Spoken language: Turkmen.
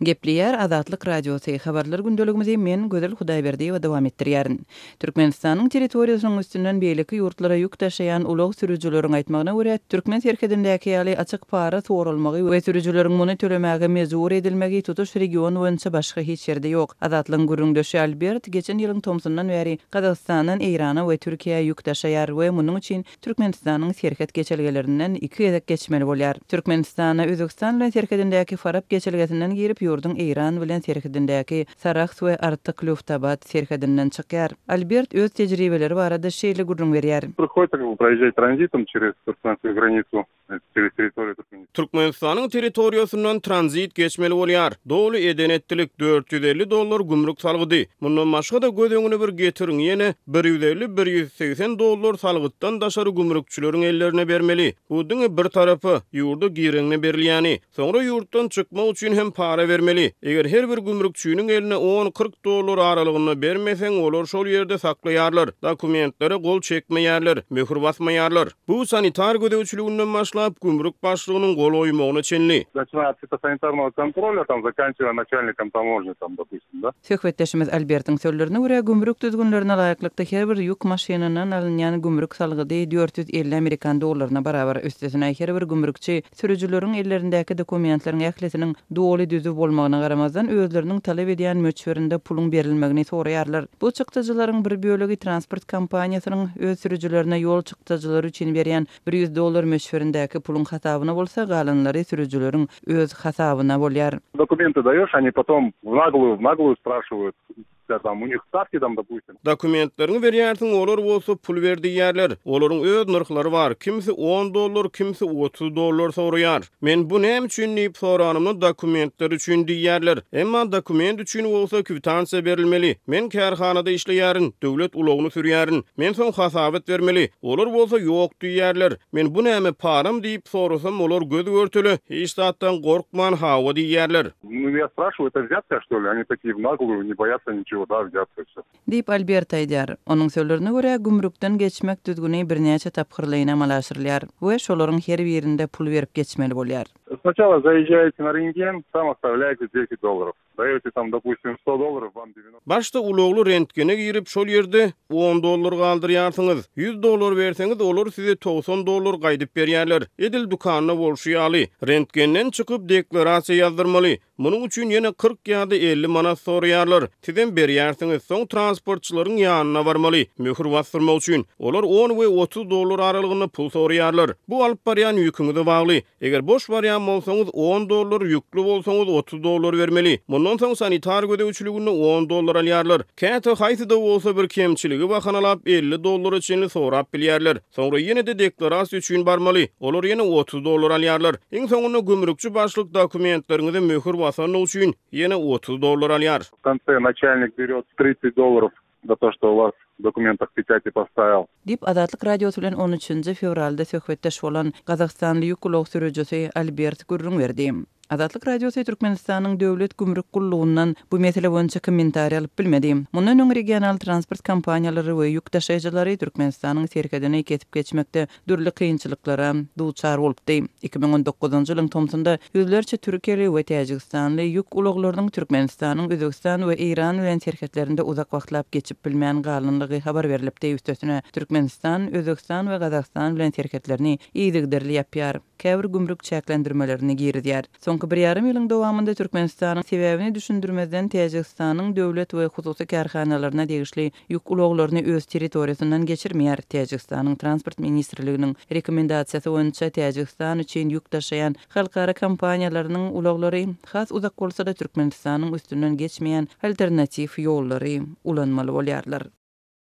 Gepleýär Azatlyk Radiosy, Habarlar gündeligimizi men, Gözel Hudaýberdiýewa dowam etdirýärin. Türkmenistanyň territoriýasynyň üstünden beýleki ýurtlara ýük daşaýan ulag sürüjileriň aýtmagyna görä, türkmen serhedindäki ýaly açyk para soralmagy we sürüjileriň muny tölemäge mejbur edilmegi tutuş region boýunça başga hiç ýerde ýok. Azatlygyň gürrüňdeşi Albert geçen ýylyň tomsundan bäri Gazagystandan Eýrana we Türkiýä ýük daşaýar we munuň üçin Türkmenistanyň serhet geçelgelerinden iki gezek geçmeli bolýar. Türkmenistana Özbegistan bilen serhedindäki Farap geçelgesinden girip, ýurduň Eýran bilen serhedindäki Sarahs we Artyk-Lýuftabat serhedinden çykýar. Albert öz tejribeleri barada şeýle gürrüň berýär. Prihodится как бы proýežžat tranzitom çerez turkmenskую granicu. Türkmenistanyň territoriýasyndan tranzit geçmeli bolýar. Doly eden-etdilik, 450 dollar gümrük salgydy. Mundan başga-da göz öňüne bir getiriň, ýene bir 150, bir 180 dollar salgytdan daşary gümrükçileriň ellerine bermeli. Bu diňe bir tarapa, ýurda gireňde berilýäni. Soňra ýurtdan çykmak üçin hem para bermeli. Eger her bir gümrükçiniň eline on, 40 dollar aralygynda bermeseň, olar şol ýerde saklaýarlar, dokumentlere gol çekmeýärler, möhür basmaýarlar. Bu sanitar gözegçiliginden başlap, gümrük başlygynyň gol goýmagyna çenli. Naçinaýa ot fitosanitarnogo kontrolýa, tam zakançiwaýa naçalnikom tamožni, tam, dopustim, da. Söhbetdeşimiz Albertiň sözlerine görä, gümrük düzgünlerine laýyklykda her bir ýük maşynyndan alynýan gümrük salgydy 450 amerikan dollaryna barabar. Üstesine, her bir gümrükçi Sürüjileriň ellerindäki dokumentleriň ählisiniň doly düzüw bolmagyna garamazdan, özleriniň talap edýän möçberinde puluň berilmegini soraýarlar. Bu çykdajylaryň bir bölegi transport kompaniýasynyň öz sürüjilerine ýol çykdajylary üçin berýän 100 dollar möçberindäki puluň hasabyna bolsa, galanlary sürüjileriň öz hasabyna bolýar. Dokumenty daýoş, oni potom w nagluýu, w nagluýu spraşiwaýut. Dokumentleriňi berýärsiň, olar bolsa pul ber diýýärler. Olaryň öz nyrhlary bar, kimsi on dollar, kimsi 30 dollar soraýar. Men bu näme üçin diýip soranymda dokumentler üçin diýýärler. Emma dokument üçin bolsa kwitansiýa berilmeli. Men kärhanada işleýärin, döwlet ulagyny sürýärin. Men soň hasabat bermeli. Olar bolsa ýok diýýärler. Men bu näme param diýip sorasam olar göz-görtele hiç zatdan gorkman hawa diýýärler. Nu ýa spraşiwaýu, eto wzýatka şto li, oni takiýe w nagluýu, ne boýatsa niçego, da, wzýatka wsё. Diýip, Albert aýdýar. Onuň sözlerine görä, gümrükden geçmek düzgüni birnäçe tapgyrlaýyn amala aşyrylýar we şolaryň her birinde pul berip geçmeli bolýar. Snaçala zaýežžaýete na rentgen, tam ostavlýaýte deset dollarov. Daýote tam, dopustim, sto dollarov, vam devyanosto. Başda ulagly rentgene girip, şol ýerde on dollar galdyrýarsyňyz. 100 dollar berseňiz, olar size 90 dollar gaýdyp berýärler. Edil dükanda bolşy ýaly. Rentgenden çykyp, deklarasiýa ýazdyrmaly. Munuň üçin ýene 40 ýa-da 50 manat soraýarlar. Sizem berýärsiňiz. Soň transportçylaryň ýanyna barmaly, möhür basdyrmak üçin. Olar on we 30 dollar aralygynda pul soraýarlar. Bu alyp barýan ýüküňize bagly. Eger boş barýan bolsaňyz, on dollar, ýükli bolsaňyz, 30 dollar bermeli. Mundan soň sanitar gözegçiliginde on dollar alýarlar. Käte haýsy-da bolsa bir kemçiligi bahanalap, 50 dollara çenli sorap bilýärler. Soňra ýene-de deklarasiýa üçin barmaly. Olar ýene 30 dollar alýarlar. Iň soňunda gümrükçi başlyk dokumentleriňize möhür basandygy üçin ýene 30 dollar alýar. W konse naçalnik berýot 30 dollarov za to, şto u was w dokumentah peçati postavil. Diýip, Azatlyk Radiosy bilen on üçünji fewralda söhbetdeş bolan gazagystanly ýük ulag sürüjisi Albert gürrüň berdi. Azatlyk Radiosy Türkmenistanyň Döwlet gümrük gullugyndan bu mesele boýunça kommentariý alyp bilmedi. Mundan öň regional transport kompaniýalary we ýük daşaýjylary Türkmenistanyň serhedini kesip geçmekde dürli kynçylyklara duçar bolupdy. 2019-njy ýylyň tomsunda ýüzlerçe türkiýeli we täjigistanly ýük ulaglarynyň Türkmenistanyň Özbegistan we Eýran bilen serhetlerinde uzak wagtlap geçip bilmän galanlygy habar berlipdi. Üstesine, Türkmenistan Özbegistan we Gazagystan bilen serhetlerini yzygiderli ýapýar, käbir gümrük çäklendirmelerini girizýär. Soňky bir ýarym ýylyň dowamynda Türkmenistanyň sebäbini düşündirmezden Täjigistanyň döwlet we hususy kärhanalaryna degişli ýük ulaglaryny öz territoriýasyndan geçirmeýär. Täjigistanyň Transport ministrliginiň rekomendasiýasy boýunça Täjigistan üçin ýük daşaýan halkara kompaniýalarynyň ulaglary has uzak bolsa-da Türkmenistanyň üstünden geçmeýän alternatiw ýollary ulanmaly bolýarlar.